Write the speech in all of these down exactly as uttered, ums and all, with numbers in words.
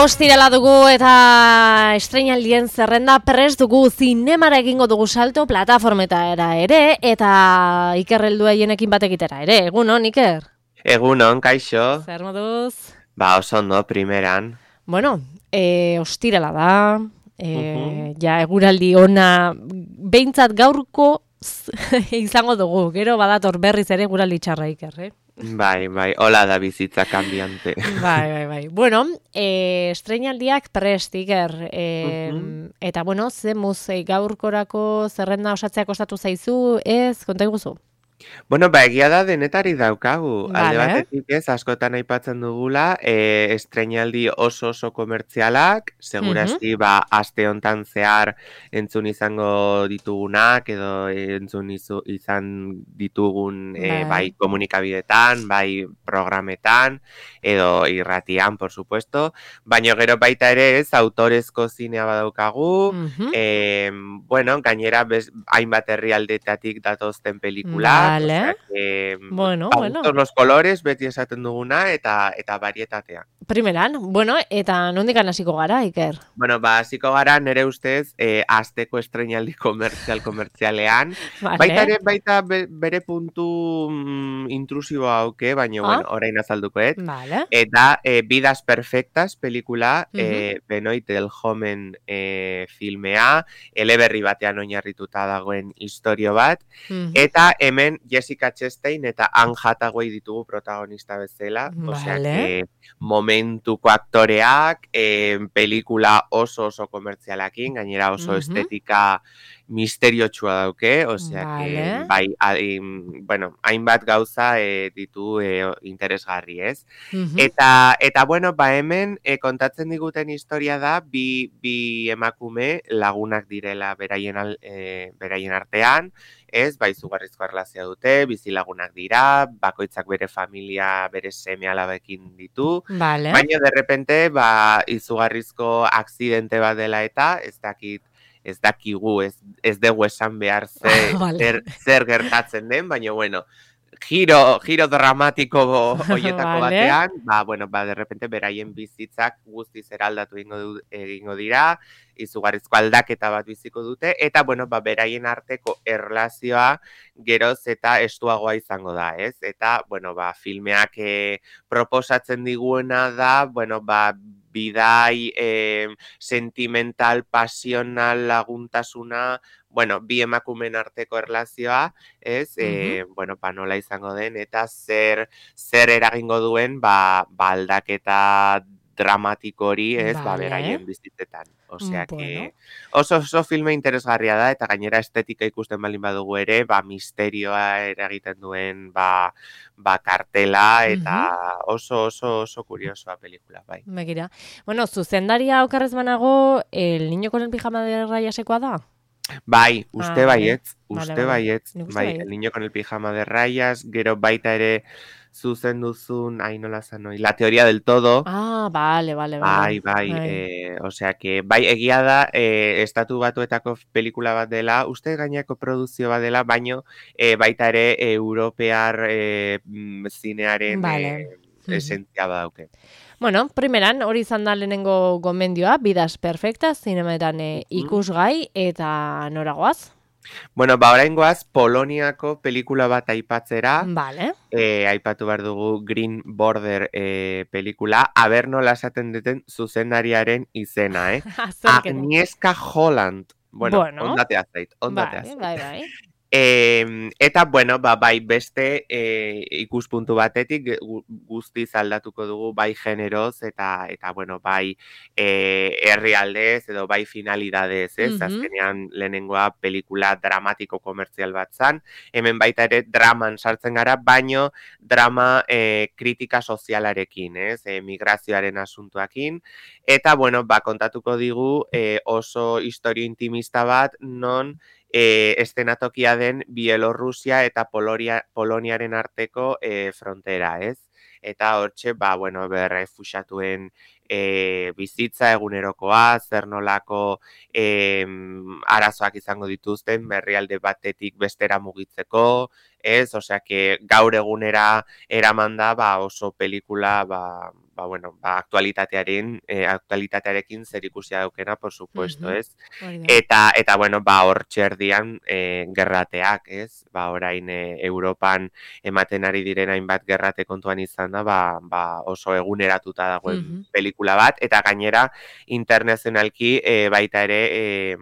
Ostirala dugu eta estreinaldien zerrenda prest dugu, zinemara egingo dugu salto plataformetara ere eta Iker heldua hienekin batekitera ere. Egunon, Iker? Egunon, kaixo. Zer moduz? Ba, oso ondo, primeran. Bueno, e, ostirala da, e, Uh-huh. ja eguraldi ona, behintzat gaurko izango dugu, gero badator berriz ere eguraldi txarra, Iker, eh? Bai, bai, hola da bizitza cambiante. Bai, bai, bai. Bueno, e, estreinaldiak prest, Iker. E, Uh-huh. eta, bueno, ze muz e, gaurkorako zerrenda osatzea kostatu zaizu, ez, konta iguzu? Bueno, ba, egia da denetari daukagu. Alde Vale. batetik ez, askotan aipatzen dugula, e, estreinaldi oso oso komertzialak, Mhm. segurazki, ba, aste hontan zehar entzun izango ditugunak, edo entzun izu, izan ditugun, e, bai Bai. komunikabidetan, bai programetan, edo irratian, por supuesto, baina gero baita ere ez, autorezko zinea badaukagu, Mhm. e, bueno, gainera bez, hainbat herrialdetatik datozten pelikulak, o sea Vale. que Bueno, pa bueno. gustos los colores, beti esaten duguna, eta eta varietatea. Primeran, bueno, eta nondikan hasiko gara, Iker? Bueno, ba, hasiko gara nere ustez, eh, asteko estreinaldi komertzial komertzialean. Baita Vale. ere, baita be, bere puntu mm, intrusiboa auke, baina Ah, bueno, orain azalduko ez. vale. Eta eh, Vidas Perfectas pelikula, Mhm. eh, Benoit del Homen eh, filmea, eleberri batean oinarrituta dagoen istorio bat, Mhm. eta hemen Jessica Chastain eta Anne Hathaway ditugu protagonista bezala, osea Vale. que momentuko aktoreak, eh, pelikula oso oso komertzialakin, gainera oso Mhm. estetika misteriotsua dauke, osea que Vale. bai, hain, bueno, hainbat gauza eh, ditu eh, interesgarri, ez? Mhm. Eta, eta bueno, ba hemen eh, kontatzen diguten historia da bi, bi emakume lagunak direla beraien, al, eh, beraien artean, ez, bai izugarrizko erlazioa dute, bizilagunak dira, bakoitzak bere familia, bere seme alabekin ditu, Vale. baina de repente, ba, izugarrizko akzidente bat dela eta, ez dakit, ez dakigu, ez, ez dugu esan behar ze, Vale. zer, zer gertatzen den, baina bueno, giro, giro dramatiko hoietako Vale. batean, ba, bueno, ba, de repente beraien bizitzak guztiz eraldatu egingo, du, egingo dira, izugarrizko aldaketa bat biziko dute, eta, bueno, ba, beraien arteko erlazioa geroz eta estuagoa izango da, ez? Eta, bueno, ba, filmeak eh, proposatzen diguena da, bueno, ba, bidai eh, sentimental, pasional, laguntasuna, bueno, bi emakumen arteko erlazioa, ez? Mhm. E, bueno, ba, nola izango den, eta zer, zer eragingo duen, ba, ba aldaketa dramatiko hori, ez, ba, Vale. beraien bizitzetan. Mm, Osea Bueno. que oso oso filme interesgarria da, eta gainera estetika ikusten baldin badugu ere, ba, misterioa eragiten duen, ba, ba kartela, Mhm. eta oso oso oso kuriosoa pelikula, bai. Begira. Bueno, zuzendaria okarrez banago, el niño con el pijama de rayasekoa da? Bai, Ah, uste vale. baietz, Vale, uste vale. baietz, Nik uste bai, baiet. el niño con el pijama de rayas, gero baita ere zuzen duzun, ai nola zan hori, la teoría del todo, Ah, vale, vale, vale. bai, bai, Bai. eh, osea que, bai, egia da, eh, estatu batuetako pelikula bat dela, uste gainako produzio bat dela, baino eh, baita ere eh, europear eh, mm, zinearen Vale. eh, Mhm. esentzia badauke. Bueno, primeran, hori izan da lehenengo gomendioa, Vidas Perfectas, zinemetan eh, Mhm. ikusgai, eta noragoaz? Bueno, ba, oraingoaz Poloniako pelikula bat aipatzera, Vale. eh, aipatu behar dugu Green Border eh, pelikula, aber nola esaten duten zuzendariaren izena, eh? Azerketa. Agnieszka Holland. Bueno, Bueno, ondatea zait, ondatea bai, zait. bai, bai. Eh, eta, bueno, ba, bai beste eh, ikuspuntu batetik gu- guztiz aldatuko dugu bai generoz eta, eta bueno, bai eh, herrialdez edo bai finalidadez, ez? Mhm. Azkenean lehenengoa pelikula dramatiko komertzial bat zan, hemen baita ere draman sartzen gara, baino drama eh, kritika sozialarekin, ez? Eh, migrazioaren asuntuakin, eta, bueno, ba, kontatuko digu eh, oso historio intimista bat, non E, estenatokia den Bielorrusia eta Polonia, Poloniaren arteko e, frontera, ez? Eta hortxe, ba, bueno, berrefusatuen e, bizitza egunerokoa, zer nolako e, arazoak izango dituzten, berrialde batetik bestera mugitzeko, ez? Osea, que gaur egunera eraman da, ba, oso pelikula, ba, ba, bueno, ba, aktualitatearen, e, aktualitatearekin zerikusia daukena, por supuesto, Mhm. ez? Hori da. Eta, eta bueno, ba, hor txerdian e, gerrateak, ez? Ba, orain e, Europan ematen ari diren hainbat gerrate kontuan izan da, ba, ba oso eguneratuta dagoen Mhm. pelikula bat, eta gainera internazionalki e, baita ere, e,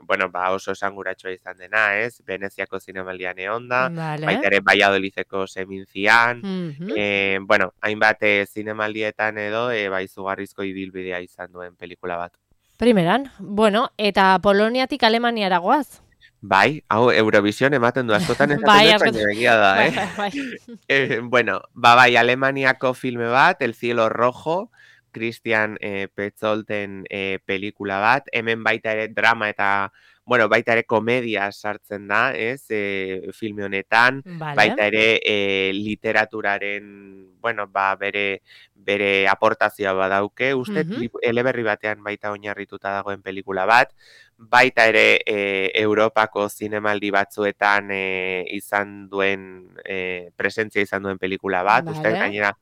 bueno, ba, oso esanguratsua izan dena, ez? Veneziako zinemaldian egon da, Vale. baita ere Valladolideko semintzian, Mhm. e, bueno, hainbat e, zinemaldietan edo, e, ba, izugarrizko ibilbidea izan duen pelikula bat. Primeran, bueno, eta Poloniatik Alemaniara goaz. Bai, hau Eurovision ematen du, askotan esaten Bai, dut, askotan. baina egia da, Bai, eh? bai, bai. eh, bueno, ba, bai, Alemaniako filme bat, El cielo rojo, Christian eh, Petzolten eh, pelikula bat, hemen baita ere drama eta, bueno, baita ere komedia sartzen da, ez, e, filme honetan, Vale. baita ere e, literaturaren, bueno, ba, bere bere aportazioa badauke, uste, Mhm. eleberri batean baita oinarrituta dagoen pelikula bat, baita ere e, Europako zinemaldi batzuetan e, izan duen, e, presentzia izan duen pelikula bat, uste, Vale. gainera,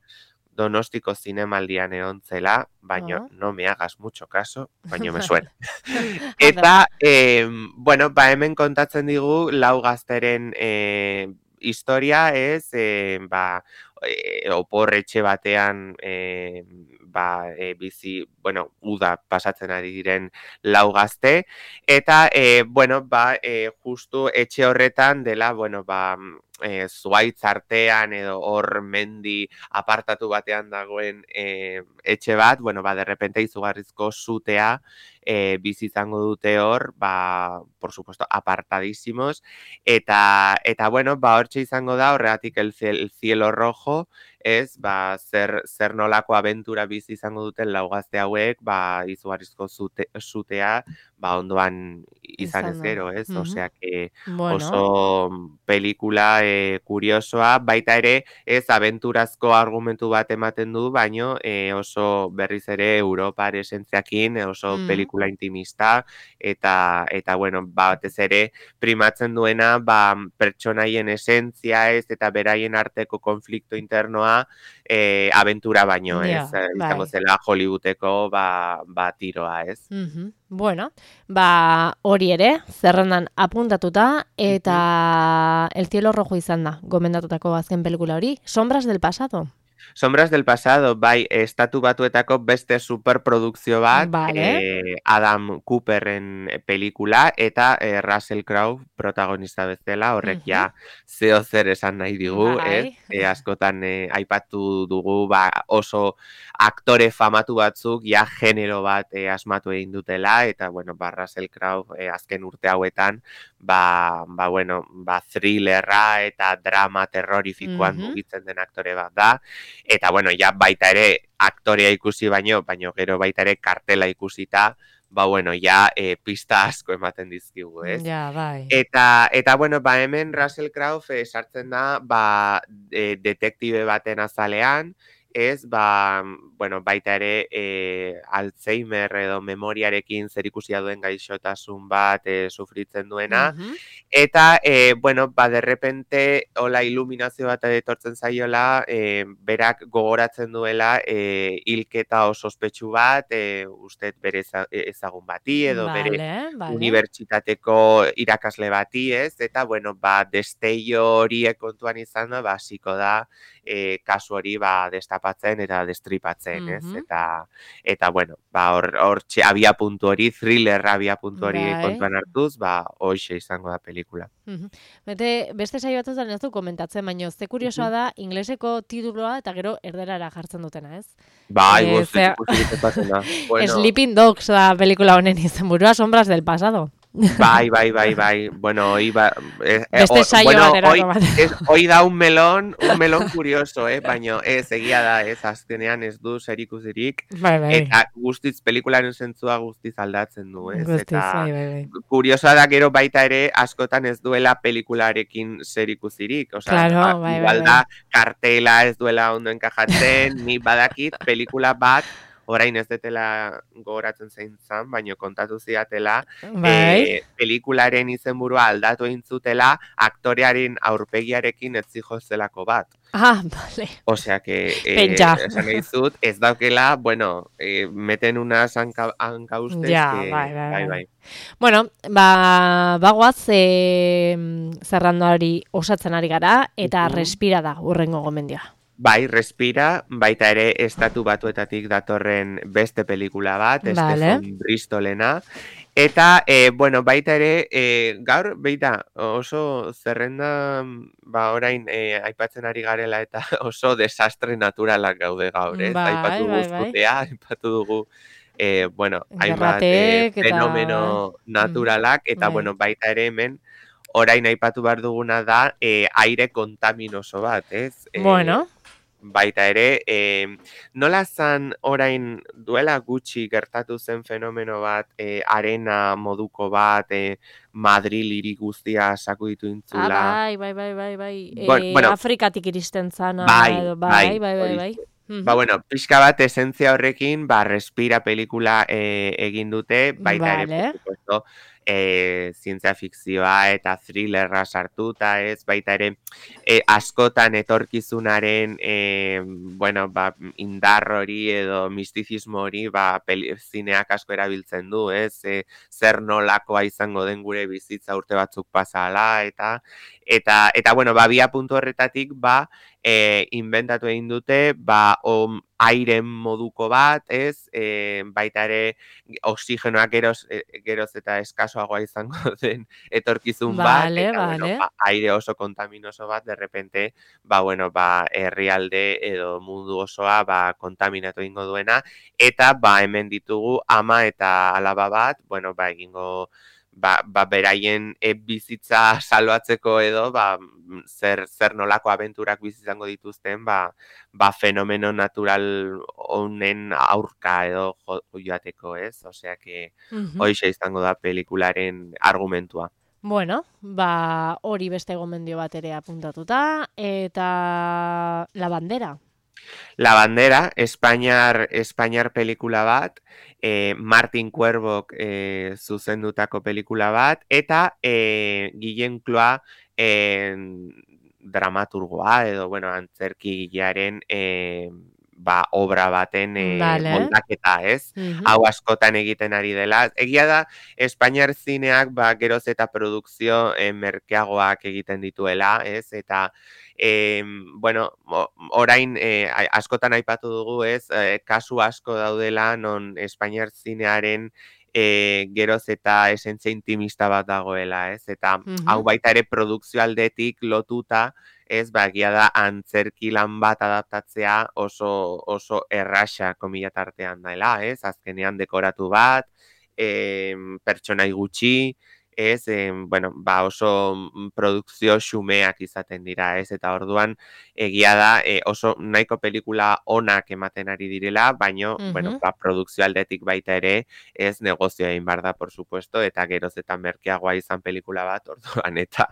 Donostiko zinemaldian egon zela, baina Oh. no me hagas mucho caso, baina me Vale. suena. Ondo. Eta, eh, bueno, ba hemen kontatzen digu lau gazteren eh, historia, ez, eh, ba, e, oporretxe batean e, ba, e, bizi, bueno, uda pasatzen ari diren lau gazte, eta, e, bueno, ba, e, justu etxe horretan dela, bueno, ba, e, zuaitz artean edo hor mendi apartatu batean dagoen e, etxe bat, bueno, ba, derrepente izugarrizko zutea e, bizi izango dute hor, ba, por supuesto, apartadísimos, eta, eta bueno, ba, hortxe izango da, horregatik el, el cielo rojo, ez, ba, zer, zer nolako abentura bizi izango duten laugazte hauek, ba, izugarrizko zute, zutea, ba, ondoan izan ez gero, ez, Mhm. osea, que Bueno. oso pelikula e, kuriosoa, baita ere, ez, abenturazko argumentu bat ematen du, baino e, oso berriz ere Europar esentziakin, oso Mhm. pelikula intimista, eta, eta bueno, batez ere, primatzen duena, ba, pertsonaien esentzia, ez, eta beraien arteko konflikto internoa, e, abentura baino, ez, Ja, izango bai. zela Hollywoodeko, ba, ba tiroa, ez. Mhm. Bueno, ba, hori ere, zerrendan apuntatuta, eta El cielo rojo izan da, gomendatutako azken pelikula hori. Sombras del pasado. Sombras del pasado, bai, estatu batuetako beste superprodukzio bat, Vale. eh, Adam Cooperren pelikula, eta eh, Russell Crowe protagonista bezala, horrek Mhm. ja zeo zer esan nahi digu, ez? Bai. E, askotan eh, aipatu dugu, ba, oso aktore famatu batzuk, ja genero bat eh, asmatu egin dutela, eta, bueno, ba, Russell Crowe eh, azken urte hauetan, ba, ba, bueno, ba, thrillerra eta drama terrorifikoan Mhm. mugitzen den aktore bat da, eta, bueno, ja baita ere aktorea ikusi baino, baino gero baita ere kartela ikusita, ba, bueno, ja e, pista asko ematen dizkigu, ez? Ja, bai. Eta, eta bueno, ba, hemen Russell Crowe e, sartzen da, ba, e, detektibe baten azalean, ez, ba, bueno, baita ere e, Alzheimer edo memoriarekin zerikusia duen gaixotasun bat e, sufritzen duena, Mhm. eta, e, bueno, ba, derrepente, hola iluminazio bat etortzen zaiola, e, berak gogoratzen duela e, hilketa oso ospetsu bat, e, uste bere ezagun bati, edo bere Vale, vale. unibertsitateko irakasle bati, ez? Eta, bueno, ba, desteio horiek kontuan izan da, ba, hasiko da, e, kasu hori, ba, destapatzen eta destripatzen, ez? Mhm. Eta, eta, bueno, ba, hor, hor, abia puntu hori, thriller abia puntu hori Bai. kontuan hartuz, ba, hoxe izango da pelikula. Mhm. Bete, beste saio batzuetan ez du komentatzen, baina ze kuriosoa da, ingleseko tituloa eta gero erderara jartzen dutena, ez? Bai, Eh, goz, zera- ikusirik epatzen da. Bueno, Sleeping Dogs da pelikula honen izenburua, Sombras del pasado. bai, bai, bai, bai. Bueno, hoy va... Eh, eh, Beste o- saio bueno, baterako hoy, bat. es, hoy da un melón, un melón curioso, eh? Baina ez, egia da, ez, azkenean ez du zerikusirik. Bai, bai. Eta guztiz, pelikularen zentzua guztiz aldatzen du, ez? Guztiz, Eta bai, bai, bai. kuriosoa da gero baita ere askotan ez duela pelikularekin zerikusirik. Osea, Claro, a- bai, bai, igual bai. da kartela ez duela ondo enkajatzen, ni badakit pelikula bat orain ez detela gogoratzen zein zan, baino kontatu zidatela, Bai. e, pelikularen izenburua aldatu egin zutela aktorearen aurpegiarekin ez zihozelako bat. Ah, vale. Osea que, eh, Pentsa. esan nahi dizut, ez daukela, bueno, eh, meten unas hanka, hankaustez Ja, bai, que, bai, bai, bai. bai. Bueno, ba, bagoaz e, zerrandari osatzen ari gara, eta Mhm. respira da urrengo gomendioa. Bai, respira, baita ere estatu batuetatik datorren beste pelikula bat, Vale. Stephen Bristolena. Eta, e, bueno, baita ere, e, gaur, beita, oso zerrenda, ba, orain, e, aipatzen ari garela eta oso desastre naturalak gaude gaur, ez? Bai, Aipatu dugu bai, bai. zutea, aipatu dugu, e, bueno, hainbat e, Gerratek eta... bai. fenomeno Mhm. naturalak, eta, Bai. bueno, baita ere hemen, orain aipatu behar duguna da, e, aire kontaminoso bat, ez? E, Bueno. baita ere, e, nola zan orain duela gutxi gertatu zen fenomeno bat, e, arena moduko bat, e, Madril hiri guztia sakuditu Ah, intzula. bai, bai, bai, bai, bai. Bon, E, bueno, Afrikatik iristen zana, bai, edo, bai, bai, bai, bai, bai. horixe. Ba, Mhm. bueno, pixka bat esentzia horrekin, ba, Respira pelikula e, egin dute, baita ere, por Vale. supuesto, e, zientzia fikzioa eta thrillerra sartuta, ez, baita ere, e, askotan etorkizunaren, e, bueno, ba, indar hori edo mistizismo hori, ba, peli, zineak asko erabiltzen du, ez, e, zer nolakoa izango den gure bizitza urte batzuk pasala, eta, eta, eta, bueno, ba, bia puntu horretatik, ba, e, inventatu egin dute, ba, om, airen moduko bat, ez, e, baita ere oxigenoak geroz, e, geroz eta eskasoagoa izango den etorkizun bat, Vale, eta, bueno, vale. ba, aire oso kontaminoso bat, de repente, ba, bueno, ba, herrialde edo mundu osoa, ba, kontaminatu egingo duena, eta, ba, hemen ditugu ama eta alaba bat, bueno, ba, egingo, ba, ba beraien e, bizitza salbatzeko edo, ba, zer, zer nolako abenturak bizizango dituzten, ba, ba fenomeno natural honen aurka edo jo, joateko, ez? Osea que Mhm. hoixe izango da pelikularen argumentua. Bueno, ba, hori beste gomendio bat ere apuntatuta, eta La Bandera. La Bandera, Espainiar, Espainiar pelikula bat, e, Martin Cuerbok e, zuzendutako pelikula bat, eta e, Guillem Cloa e, dramaturgoa edo, bueno, antzerkigilearen e, ba, obra baten e, Vale. moldaketa, ez? Mhm. Hau askotan egiten ari dela. Egia da, Espainiar zineak ba, geroz eta produkzio e, merkeagoak egiten dituela, ez? Eta E, bueno, orain e, askotan aipatu dugu, ez, e, kasu asko daudela non Espainiar zinearen e, geroz eta esentzia intimista bat dagoela, ez, eta Mhm. hau baita ere produkzio aldetik lotuta, ez, ba, egia da antzerki lan bat adaptatzea oso, oso erraxa komila tartean dela, ez, azkenean dekoratu bat, e, pertsonai gutxi, ez, e, bueno, ba oso produkzio xumeak izaten dira, ez, eta orduan egia da e, oso nahiko pelikula onak ematen ari direla, baino, Mhm. bueno, ba, produkzio aldetik baita ere, ez negozio egin bar da, por supuesto, eta geroz eta merkeagoa izan pelikula bat, orduan, eta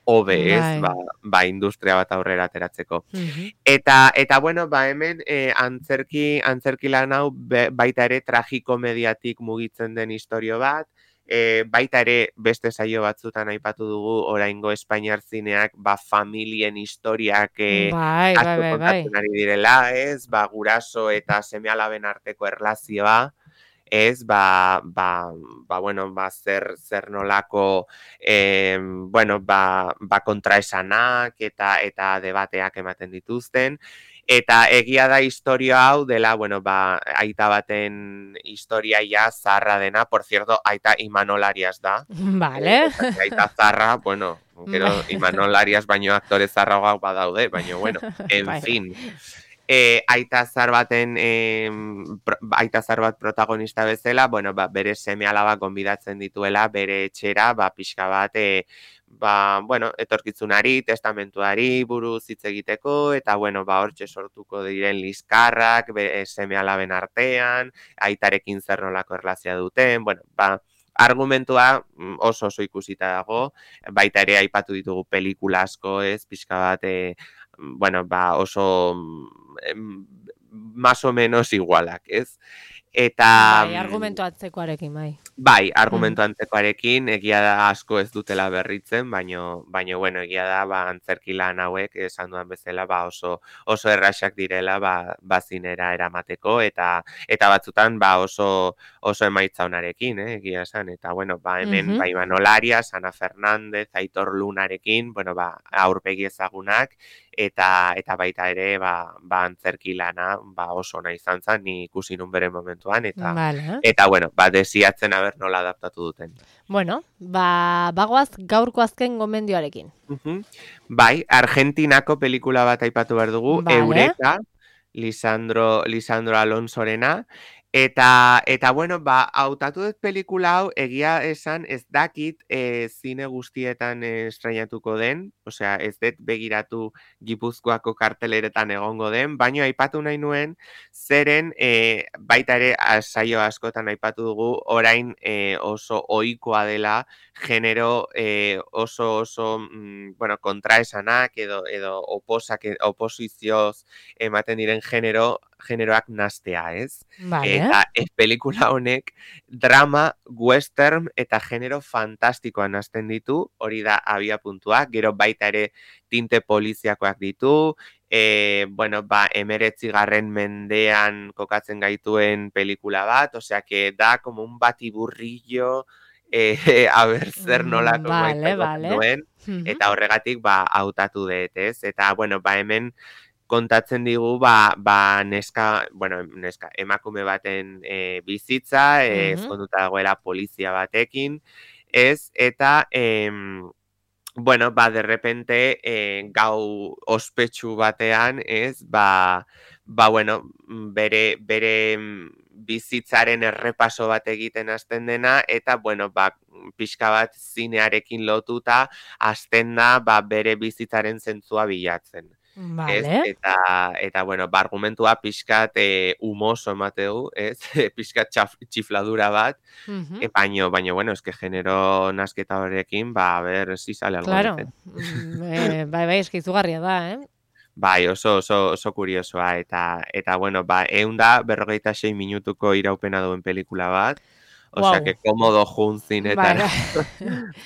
hobe, ez, Bai. ba, ba industria bat aurrera ateratzeko. Mhm. Eta, eta bueno, ba, hemen e, antzerki, antzerki lan hau be, baita ere tragikomediatik mugitzen den istorio bat, E, baita ere beste saio batzutan aipatu dugu oraingo Espainiar zineak ba familien historiak e, Bai, bai, asko bai, bai. kontatzen ari direla, ez? Ba guraso eta seme-alaben arteko erlazioa, ez? Ba, ba, ba bueno, ba zer zer nolako eh, bueno, ba, ba kontraesanak eta eta debateak ematen dituzten. Eta egia da historia hau dela, bueno, ba, aita baten historia ja zarra dena, por cierto, aita Imanol Arias da. Eh, Vale. osea, que aita zarra, bueno, gero Imanol Arias baino aktore zarragoak badaude, baino, bueno, en Bai, bai. fin. E, aita zar baten, e, pro, aita zar bat protagonista bezala, bueno, ba, bere seme alaba gonbidatzen dituela, bere etxera, ba, pixka bat, e, ba, bueno, etorkizunari, testamentuari buruz hitz egiteko, eta, bueno, ba, hortxe sortuko diren liskarrak, be, seme alaben artean, aitarekin zer nolako erlazia duten, bueno, ba, argumentua oso oso ikusita dago, baita ere aipatu ditugu pelikula asko, ez, pixka bat, e, bueno, ba, oso em, más o menos igualak, ez? Eta... Bai, argumentu atzekoarekin, bai. Bai, argumentu antzekoarekin, egia da asko ez dutela berritzen, baino, baino bueno, egia da, ba, antzerki lan hauek, esan duan bezala, ba, oso, oso erraxak direla, ba, bazinera eramateko, eta eta batzutan, ba, oso, oso emaitza onarekin, eh, egia esan, eta, bueno, ba, hemen, Mhm. ba, Imanol Arias, Ana Fernández, Aitor Lunarekin, bueno, ba, aurpegi ezagunak, eta eta baita ere, ba, ba antzerki lana, ba, oso ona izan zen, ni ikusi nun bere momentuan, eta, Vale. eta, bueno, ba, desiatzen aber nola adaptatu duten. Bueno, ba, bagoaz gaurko azken gomendioarekin. Uh-huh. Bai, Argentinako pelikula bat aipatu behar dugu, Vale. Eureka, Lisandro, Lisandro Alonsorena, eta, eta bueno, ba, hautatu dut pelikula hau, egia esan ez dakit e, zine guztietan e, estrainatuko den, osea, ez dut begiratu Gipuzkoako karteleretan egongo den, baina aipatu nahi nuen, zeren e, baita ere saio askotan aipatu dugu, orain e, oso ohikoa dela, genero e, oso oso mm, bueno, kontraesanak edo edo oposak oposizioz ematen diren genero generoak nastea, ez? Vale. Eta ez pelikula honek drama, western eta genero fantastikoa nasten ditu, hori da abia puntua, gero baita ere tinte poliziakoak ditu, e, bueno, ba, emeretzigarren mendean kokatzen gaituen pelikula bat, osea que da como un batiburrillo eh, a ber zer nolako vale, emaitza vale. duen, eta horregatik ba hautatu dut, ez? Eta bueno, ba hemen kontatzen digu ba, ba neska, bueno, neska, emakume baten e, bizitza, e, ezkonduta dagoela polizia batekin, ez? Eta em, bueno, ba de repente e, gau ospetsu batean, ez? Ba, ba bueno, bere bere bizitzaren errepaso bat egiten hasten dena, eta, bueno, ba, pixka bat zinearekin lotuta, hasten da, ba, bere bizitzaren zentzua bilatzen. Ez? Vale. Eta, eta, bueno, ba, argumentua pixkat e, humoso emateu, ez? Pixkat txaf, txifladura bat, Uh-huh. e, baino, baino, bueno, eske genero nasketa horrekin, ba, a ver, si sale algo. Claro, mm, eh, bai, bai, eskizugarria da, eh? Bai, oso, oso, oso kuriosoa, eta, eta, bueno, ba, eun da, berrogeita sei minutuko iraupena duen pelikula bat, osea, Wow. que komodo juntzin eta Bai,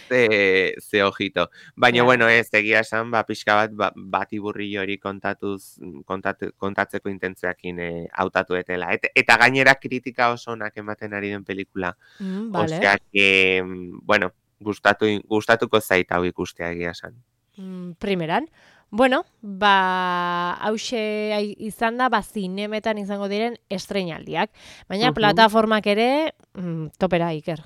ze, ze ojito. Baina, Claro. bueno, ez, egia esan, ba, pixka bat, ba, bati burrillo hori kontatuz, kontatu, kontatzeko intentzioakin e, hautatu etela. Et, eta gainera kritika oso onak ematen ari den pelikula. Mm, vale. Osea, que, bueno, gustatu, gustatuko zait hau ikustea egia esan. Mm, primeran. Bueno, ba, hause izan da, ba, zinemetan izango diren estreinaldiak. Baina Mhm. plataformak ere, mm, topera, Iker.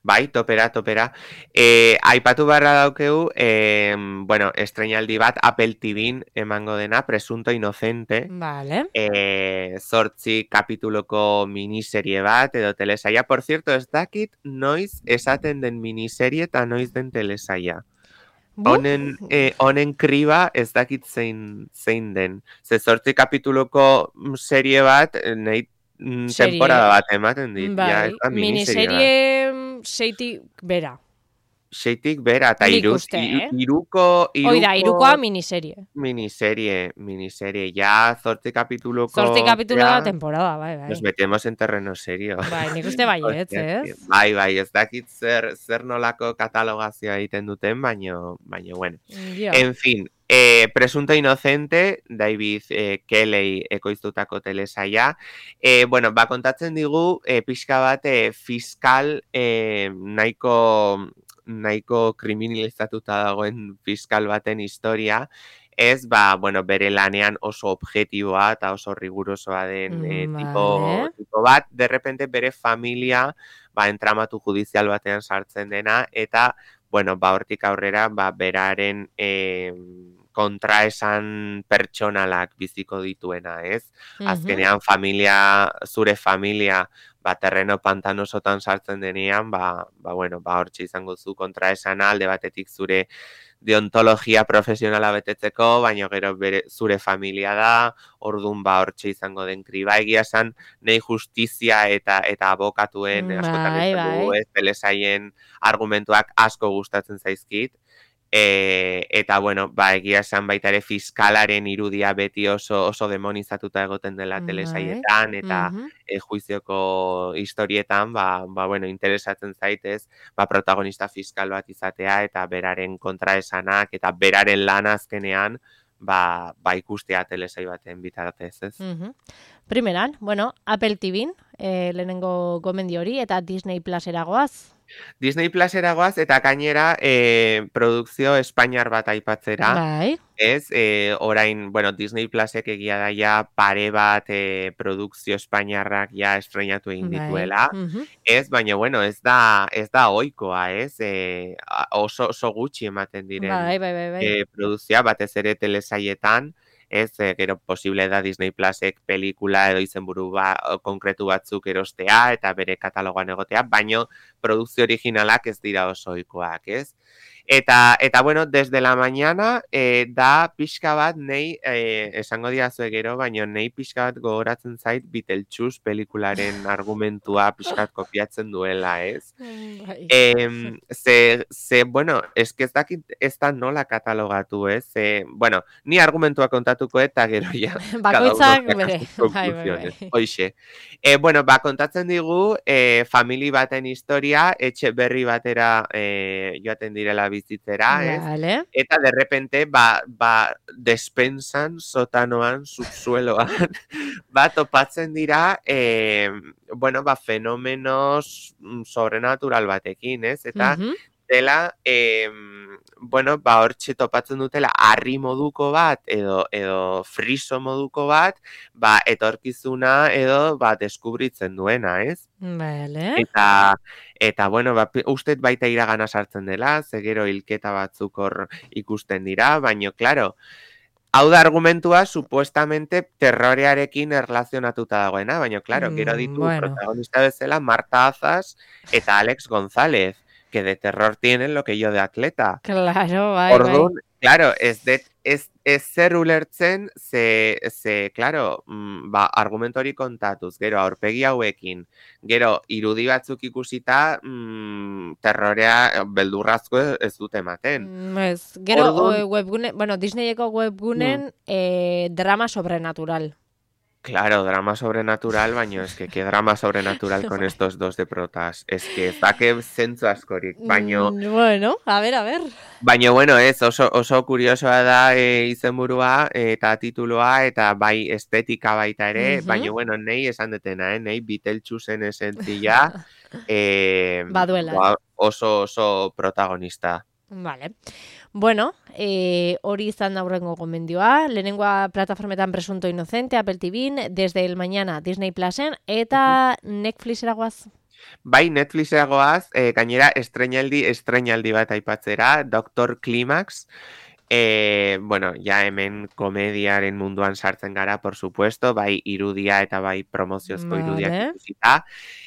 Bai, topera, topera. E, aipatu barra daukeu, e, bueno, estreinaldi bat Apple T Vn emango dena, Presunto Inocente. Vale. E, zortzi kapituloko miniserie bat, edo telesaia. Por cierto, ez dakit noiz esaten den miniserie eta noiz den telesaia. Honen, eh, honen kriba ez dakit zein, zein den. Ze zortzi kapituloko serie bat, nahi temporada bat ematen dit. Bai, ja, ez da miniserie bat. miniserie seitik bera. Seitik bera, eta Nik iru, uste, eh? iruko, iruko... Oida, irukoa miniserie. Miniserie, miniserie. Ja, zortzi kapituloko... Zortzi kapitulo da temporada, bai, bai. Nos metemos en terreno serio. Bai, nik uste baietz, ez? Bai, bai, ez dakit zer, zer nolako katalogazioa egiten duten, baino, baino, bueno. Jo. En fin, eh, Presunto Inocente, David eh, Kelley ekoiztutako telesaia. Eh, bueno, ba, kontatzen digu, eh, pixka bat, eh, fiskal eh, nahiko... nahiko kriminalizatuta dagoen fiskal baten historia, ez, ba, bueno, bere lanean oso objektiboa eta oso rigurosoa den eh, Mm, tipo, vale. tipo bat, de repente bere familia, ba, entramatu judizial batean sartzen dena, eta, bueno, ba, hortik aurrera, ba, beraren eh, kontraesan pertsonalak biziko dituena, ez? Mhm. Azkenean, familia, zure familia, ba, terreno pantanosotan sartzen denean, ba, ba, bueno, ba, hortxe izango zu kontraesana, alde batetik zure deontologia profesionala betetzeko, baina gero bere, zure familia da, ordun ba, hortxe izango den kriba. Egia esan, nahi justizia eta eta abokatuen Bai, askotan izan dugu, bai. ez, telesaien argumentuak asko gustatzen zaizkit, E, eta, bueno, ba, egia esan baita ere fiskalaren irudia beti oso oso demonizatuta egoten dela Bai. telesaietan, eta Mhm. e, juizioko historietan, ba, ba, bueno, interesatzen zaitez, ba, protagonista fiskal bat izatea, eta beraren kontraesanak, eta beraren lan azkenean, ba, ba ikustea telesai baten bitartez, ez? Mhm. Primeran, bueno, Apple T V, eh, lehenengo gomendio hori, eta Disney Plus eragoaz. Disney Plus eragoaz, eta gainera e, produkzio espainiar bat aipatzera, Bai. ez, e, orain, bueno, Disney Plusek egia da ja pare bat e, produkzio espainiarrak ja estrenatu egin Bai. dituela, Mhm. ez, baina, bueno, ez da, ez da ohikoa, ez, e, a- oso, oso gutxi ematen diren Bai, bai, bai, bai. e, produkzioa, batez ere telesaietan, ez, e, gero posible da Disney Plusek pelikula edo izenburu ba, konkretu batzuk erostea, eta bere katalogoan egotea, baino produkzio originalak ez dira oso ohikoak, ez? Eta, eta bueno, desde la mañana eh, da pixka bat nei, eh, esango diazue gero, baina nei pixka bat gogoratzen zait Beetlejuice pelikularen argumentua pixka bat kopiatzen duela, ez? Mm, Bai. Em, ze, ze, bueno, ez que ez dakit ez da nola katalogatu, ez? Ze, bueno, ni argumentua kontatuko eta gero ja, cada uno Bakoitzak saca bere. sus Bai, bai, conclusiones. bai. Hoixe. E, bueno, ba, kontatzen digu, e, famili baten historia, etxe berri batera e, joaten direla bizitzera, ez? Vale. Eta de repente, ba, ba, despensan, sotanoan, subsueloan, ba, topatzen dira, e, bueno, ba, fenomenos sobrenatural batekin, ez? Eta Mhm. dela, e, bueno, ba, hortxe topatzen dutela, harri moduko bat, edo, edo friso moduko bat, ba, etorkizuna edo, ba, deskubritzen duena, ez? Vale. Eta, eta bueno, ba, uste baita iragana sartzen dela, ze gero hilketa batzuk hor ikusten dira, baino, claro, hau da argumentua, supuestamente, terrorearekin erlazionatuta dagoena, baina, claro, gero Mm, ditu bueno. protagonista bezala Marta Azaz eta Alex González, que de terror tienen lo que yo de atleta. Claro, bai, bai. Orduan, claro, ez det, ez, ez zer ulertzen, ze, ze, claro, mm, ba, argumento hori kontatuz, gero aurpegi hauekin, gero irudi batzuk ikusita, mm, terrorea beldurrazko ez dute ematen. Mm, Ez, gero Orduan- o, webgune, bueno, Disneyeko webgunen eh, drama sobrenatural. Claro, drama sobrenatural, baino es que qué drama sobrenatural con estos dos de protas. Es que ez dake zentzu askorik, baino, Mm, bueno, a ver, a ver. baino bueno, ez, oso, oso kuriosoa da e, izenburua eta tituloa, eta bai estetika baita ere, Mhm. baino bueno, nei esan detena, eh, nei Beetlejuiceen esentzia eh, Baduela. ba, oso, oso protagonista. Vale. Bueno, eh, hori izan da hurrengo gomendioa. Lehenengoa plataformetan Presunto Inocente, Apple T V, desde el mañana Disney Plusen, eta Netflixera goaz. Bai, Netflixera goaz, eh, gainera estrenaldi, estrenaldi bat aipatzera, Doctor Climax. Eh, bueno, ja hemen komediaren munduan sartzen gara, por supuesto, bai irudia eta bai promoziozko irudiak Vale. ikusita.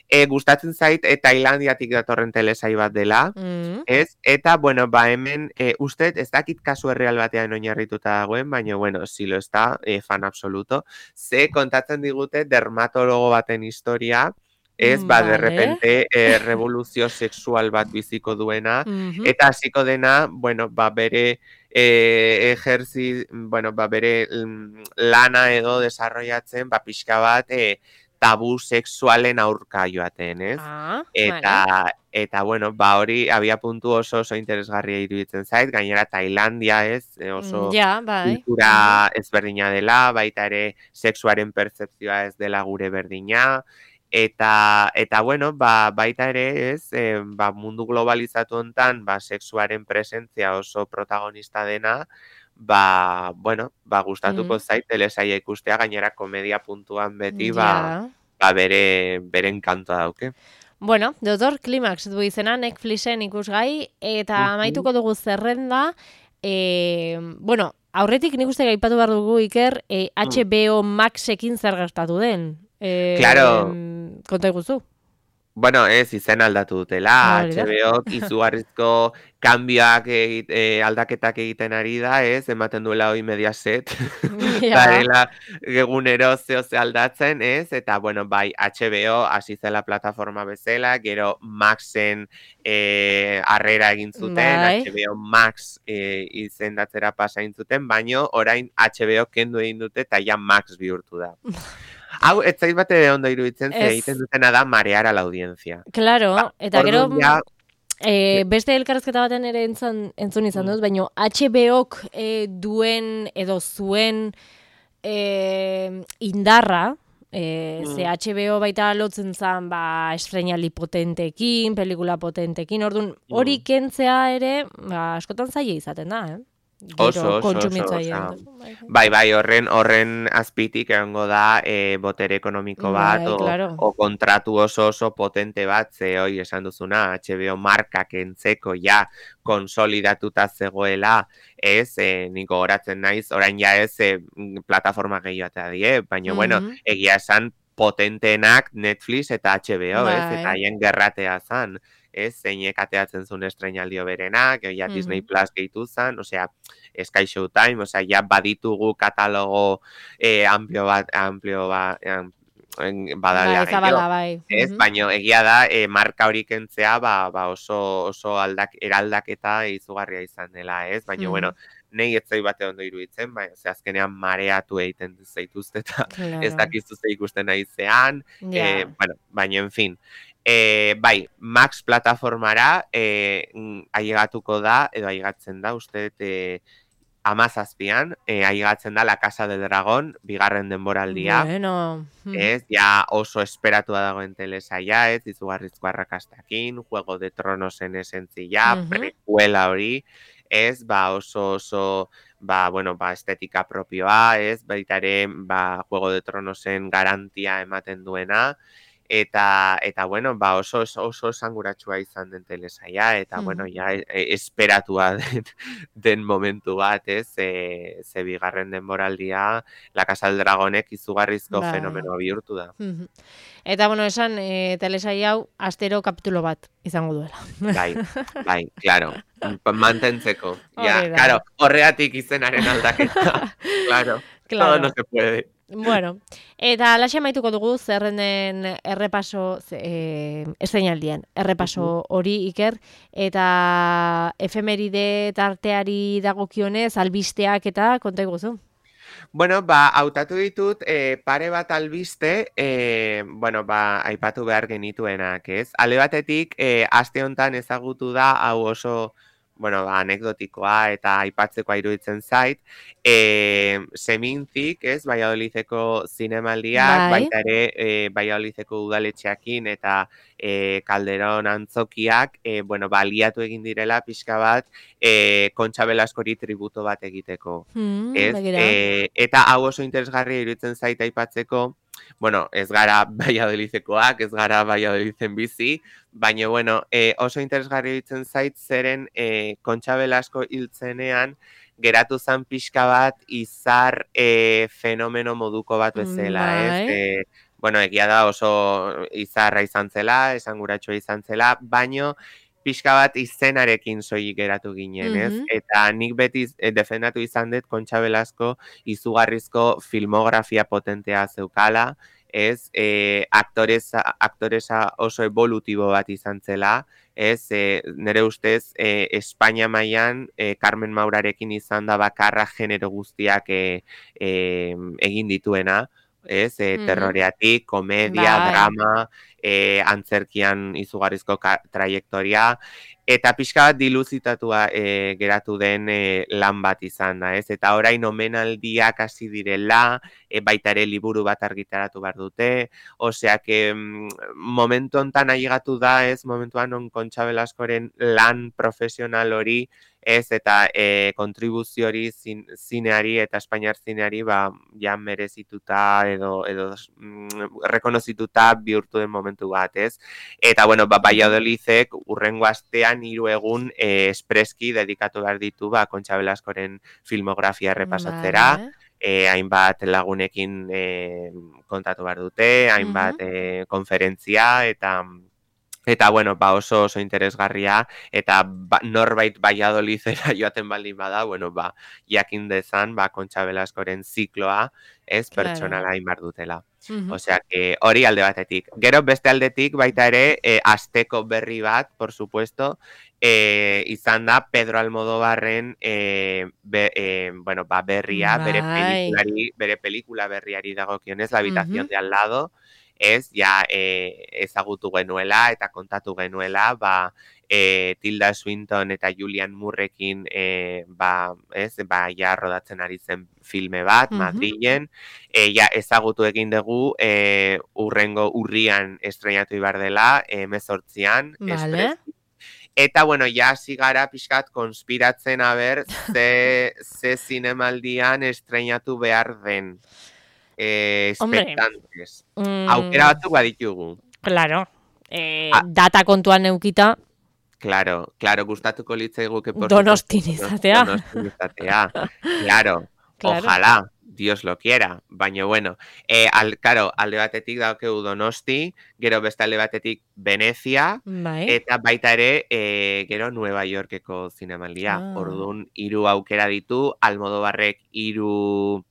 E, gustatzen zait, e, Tailandiatik datorren telesai bat dela, Mm. ez? Eta, bueno, ba hemen, e, uste, ez dakit kasu erreal batean oinarrituta dagoen, baina, bueno, si lo está, e, fan absoluto. Ze kontatzen digute dermatologo baten historia, ez, ba, de Vale. repente, e, revoluzio sexual bat biziko duena, Mhm. eta hasiko dena, bueno, ba, bere e, ejerzi, bueno, ba, bere mm, lana edo desarrollatzen, ba, pixka bat, e, tabu sexualen aurka joaten, ez? Ah, Eta, vale. eta bueno, ba, hori abia puntu oso oso interesgarria iruditzen zait, gainera Tailandia, ez? E, oso Mm, Ja, bai. kultura ezberdina dela, baita ere sexuaren pertzepzioa ez dela gure berdina, eta, eta bueno, ba, baita ere, ez, e, ba, mundu globalizatu hontan, ba, sexuaren presentzia oso protagonista dena, ba, bueno, ba, gustatuko Mm. zait telesaia ikustea, gainera komedia puntuan beti, ba, Ja. ba, bere, bere enkantoa dauke. Bueno, Doctor Climax du izena Netflixen ikusgai, eta Mhm. amaituko dugu zerrenda, e, bueno, aurretik nik uste gaipatu behar dugu, Iker, e, H B O Maxekin zer gertatu den. E, Claro. Konta iguzu. Bueno, ez, izen aldatu dutela, Hori da. H B Ok izugarrizko kanbioak egit, eh, aldaketak egiten ari da, ez, ematen duela hoi Mediaset, Ja. darela egunero zeo ze aldatzen, ez, eta, bueno, bai, H B O hasi zela plataforma bezala, gero Maxen eh, harrera egin zuten, Bai. H B O Max eh, izendatzera pasa egin zuten, baino orain H B O kendu egin dute eta ja Max bihurtu da. Hau, ez zait bate ondo iruditzen, ze Ez. egiten dutena da marear a la audiencia. Claro, Ba, eta gero orduan ja, e, beste elkarrezketa baten ere entzun, entzun izan dut, baina H B Ok e, duen edo zuen e, indarra, e, Mm. ze H B O baita lotzen zan ba, estreinaldi potentekin, pelikula potentekin, orduan hori Mm. kentzea ere ba, askotan zaila izaten da, eh? Oso, Gero oso, oso, kontsumitzaile. osea, bai, bai, horren horren azpitik egongo da e, botere ekonomiko bat, Bai, o, claro. o kontratu oso oso potente bat, ze hoi esan duzuna, H B O markak entzeko ja konsolidatuta zegoela, ez, e, niko goratzen naiz, orain ja ez e, plataforma gehiotea die, baina, bueno, Mhm. egia esan potenteenak Netflix eta H B O, ez, Bai. eta haien gerratea zan, ez, zeinek ateatzen zuen estreinaldio berenak, ja Mhm. Disney Plus gehitu zan, osea, Sky Showtime, osea, ja baditugu katalogo eh, amplio bat, amplio bat, am, en- badala Bai, gehiago, zabala, bai. ez? Mhm. Baina egia da, eh, marka hori kentzea, ba, ba oso, oso aldak, eraldaketa izugarria izan dela, ez? Baina, Mhm. bueno, nei ez zai bate ondo iruditzen, baina ze azkenean mareatu egiten zaituzte eta ez Claro. dakizu ze ikusten naizean, Ja. eh, bueno, baina, en fin. Eh, bai, Max plataformara eh, mm, ailegatuko da, edo ailegatzen da, uste dut, eh, amazazpian, eh, ailegatzen da La Casa del Dragón, bigarren denboraldia, Bueno. Mhm. ez, ja oso esperatua dagoen telesaia, ez, izugarrizko arrakastakin, Juego de Tronosen esentzia, Mhm. prequela hori, ez, ba oso oso, ba, bueno, ba, estetika propioa, ez, baita ere, ba, Juego de Tronosen garantia ematen duena, eta, eta bueno, ba, oso, oso, oso esanguratsua izan den telesaia, eta, bueno, Mhm. ja, e, esperatua den, den momentu bat, ez, ze, ze bigarren denboraldia, La Casa del Dragonek izugarrizko Bai. fenomeno bihurtu da. Mhm. Eta, bueno, esan, e, telesaia hau, astero kapitulo bat izango duela. Bai, bai, claro, pa- mantentzeko. Ja, Hori da. claro, horregatik izenaren aldaketa, claro, todo no Claro. se puede. Bueno, eta alaxe amaituko dugu zerrenden errepaso, ze- eh, estreinaldian, errepaso hori Iker, eta efemeride tarteari dagokionez, albisteak eta konta iguzu. Bueno, ba, hautatu ditut eh, pare bat albiste, eh, bueno, ba, aipatu behar genituenak, ez? Ale batetik, eh, aste honetan ezagutu da, hau oso, bueno, ba, anekdotikoa eta aipatzekoa iruditzen zait, eh, Semintzik, ez, Valladolideko zinemaldiak, Bai. baita ere, eh, Valladolideko udaletxeakin eta eh, Calderon antzokiak, eh, bueno, baliatu egin direla pixka bat, eh, Kontxa Belaskori tributo bat egiteko. Hmm, Ez, begira. e, eta hau oso interesgarria iruditzen zait aipatzeko, bueno, ez gara Valladolidekoak, ez gara Valladoliden bizi, baina, bueno, e, oso interesgarria iruditzen zait zeren e, Kontxa Belasko hiltzenean geratu zan pixka bat izar e, fenomeno moduko bat bezala, ez? Bai. E, bueno, egia da oso izarra izan zela, esanguratsua izan zela, baino pixka bat izenarekin soilik geratu ginen, ez? Mhm. Eta nik beti eh, defendatu izan dut Kontxa Belasko izugarrizko filmografia potentea zeukala, ez? E, aktoresa, aktoresa oso evolutibo bat izan zela, ez? E, nire ustez, e, Espainia mailan e, Carmen Maurarekin izan da bakarra genero guztiak e, e, egin dituena, ez? E, Mhm. terroreatik, komedia, Bai. drama, e, antzerkian izugarrizko ka- trajektoria, eta pixka bat diluzitatua e, geratu den e, lan bat izan da, ez? Eta orain omenaldiak hasi direla, e, baita ere liburu bat argitaratu behar dute, osea que mm, momentu hontan ailegatu da, ez? Momentuan on Kontxa Belaskoren lan profesional hori, ez, eta e, kontribuzio hori zin, zineari eta Espainiar zineari ba, ja merezituta edo, edo mm, rekonozituta bihurtu den momentu bat, ez? Eta, bueno, ba, Valladolidek urrengo astean hiru egun e, espreski dedikatu behar ditu ba, Kontxa Belaskoren filmografia errepasatzera, Vale. e, hainbat lagunekin e, kontatu behar dute, hainbat Mhm. e, konferentzia eta Eta, bueno, ba oso oso interesgarria, eta ba, norbait Valladolidera joaten baldin bada, bueno, ba, jakin dezan, ba, Kontxa Belaskoren zikloa, ez, pertsonala inbar dutela. Mhm. Osea, que hori alde batetik. Gero beste aldetik baita ere, eh, asteko berri bat, por supuesto, eh, izan da Pedro Almodóvarren eh, be, eh, bueno, ba, berria, bere Bai. pelikulari, bere pelikula berriari dagokionez, La habitación Mhm. de al lado, ez, ja, eh, ezagutu genuela eta kontatu genuela, ba, eh, Tilda Swinton eta Julian Moorrekin, eh, ba, ez, ba, ja, rodatzen ari zen filme bat, Mhm. Madrilen, eh, ja, ezagutu egin dugu, eh, urrengo urrian estreinatu ibar dela, hemezortzian, Vale. eta, bueno, ja, hasi gara pixkat konspiratzen aber, ze, ze zinemaldian estreinatu behar den. Eh, Hombre, expectantes. mm, Aukera batzuk baditugu. claro, eh, Ah, data kontuan neukita, claro, claro, gustatuko litzaiguke, por Donostin supuesto, izatea. Donostin izatea. Claro, Claro. ojalá, Dios lo quiera. Baina, bueno, eh, al, claro, alde batetik daukegu Donosti, gero beste alde batetik Venezia, Bai. eta baita ere, eh, gero Nueva Yorkeko zinemaldia. Ah. Orduan, hiru aukera ditu, Almodóvarrek hiru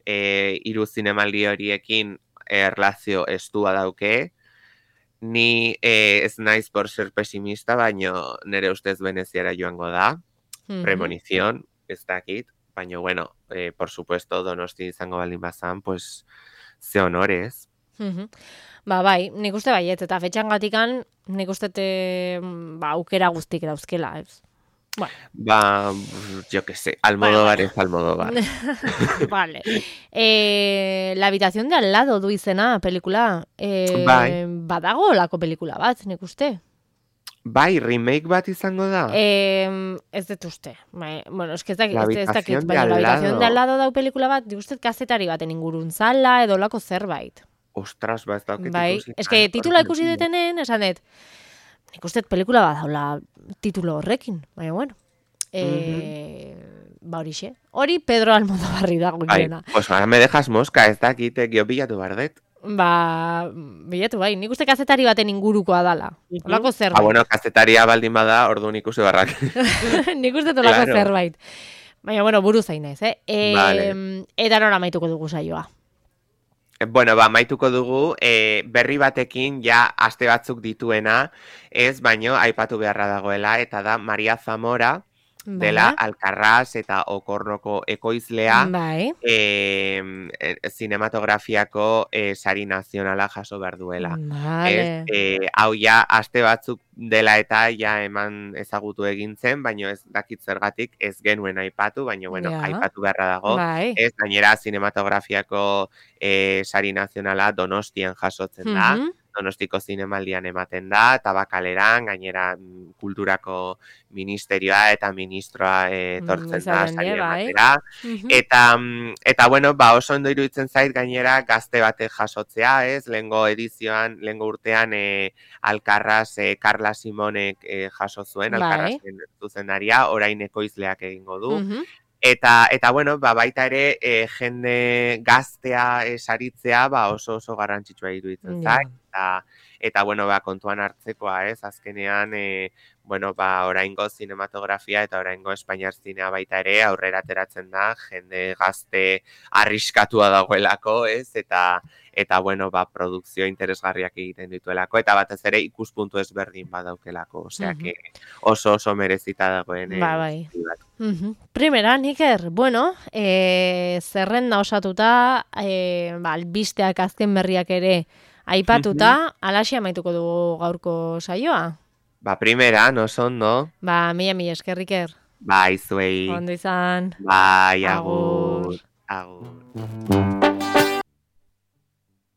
eh, hiru zinemaldi horiekin erlazio estua dauke. Ni eh, ez naiz por ser pesimista, baino nere ustez Veneziara joango da. Mhm. Premonición, ez dakit. Baina, bueno, eh, por supuesto, Donosti izango baldin bazan, pues, ze honores. Mhm. Ba, bai, nik uste baiet, eta fetxangatikan nik uste te, ba, aukera guztik dauzkela, ez? Bueno. Ba, yo que sé, Almodóvar Bueno, es Almodóvar. Vale. Eh, La habitación de al lado du izena, pelikula. Eh, Bai. Badago lako pelikula bat, nik uste. Bai, remake bat izango da. Eh, ez dut uste. Bai, bueno, es que ez dakit, La ez, ez dakit, habitación de baina al La habitación de al lado. lado dau pelikula bat, nik uste kazetari baten ingurun zala, edo lako zerbait. Ostras, ba, ez dauket Bai, ikusi. es que Ah, titula hori ikusi mentira. detenen, esan dut, nik uste pelikula bat daula titulo horrekin, baina bueno. Eh, ba horixe. Hori Pedro Almodóvarri dago Bai, girena. pues ahora me dejas mosca, ez dakit, eh, gio bilatu bardet. Ba, bilatu bai, nik uste kazetari baten ingurukoa dala. Olako Ah, zerbait. bueno, kazetaria baldin bada, orduan ikusi barrak. Nik uste olako Claro. zerbait. Baina, bueno, buru zain naiz, eh? E, Vale. Eta nora maituko dugu saioa. Bueno, ba, maituko dugu, eh, berri batekin ja aste batzuk dituena, ez, baino aipatu beharra dagoela, eta da Maria Zamora, dela Vale. Alkarraz eta Okornoko ekoizlea, Bai. eh, eh, zinematografiako eh, sari nazionala jaso behar duela. Vale. Ez, eh, hau ja aste batzuk dela eta ja eman ezagutu egin zen, baino ez dakit zergatik ez genuen aipatu, baino bueno, Ja. aipatu beharra dago. Bai. Ez, gainera zinematografiako eh, sari nazionala Donostian jasotzen da. Mhm. Donostiko zinemaldian ematen da, Tabakaleran, gainera mm, kulturako ministerioa eta ministroa eh, etortzen da Izaten die, sari bai. ematera. Mhm. Eta, mm, eta bueno, ba, oso ondo iruditzen zait gainera gazte batek jasotzea, ez? Lehengo edizioan, lehengo urtean eh, Alkarraz, eh, Carla Simonek eh, jaso zuen, Bai. Alkarrazen zuzendaria, orain ekoizleak egingo du. Mhm. Eta, eta bueno, ba, baita ere, e, jende gaztea e, saritzea, ba, oso oso garrantzitsua iruditzen Ja. zait. Eta, eta bueno, ba, kontuan hartzekoa, ez? Azkenean, e, bueno, ba, oraingo zinematografia eta oraingo Espainiar zinea baita ere aurrera ateratzen da, jende gazte arriskatua dagoelako, ez? Eta, eta bueno, ba, produkzio interesgarriak egiten dituelako, eta batez ere ikuspuntu ezberdin badaukelako, osea, Mhm. que oso oso merezita dagoen. Ba, eh, bai. zati bat. Mhm. Primera, Iker, bueno, e, zerrenda osatuta, e, ba, albisteak azken berriak ere aipatuta, alaxi amaituko dugu gaurko saioa. Ba, primera, no ondo. Ba, mila mila esker, Iker. Bai, zuei. Ondo izan. Bai, Agur. agur. Agur.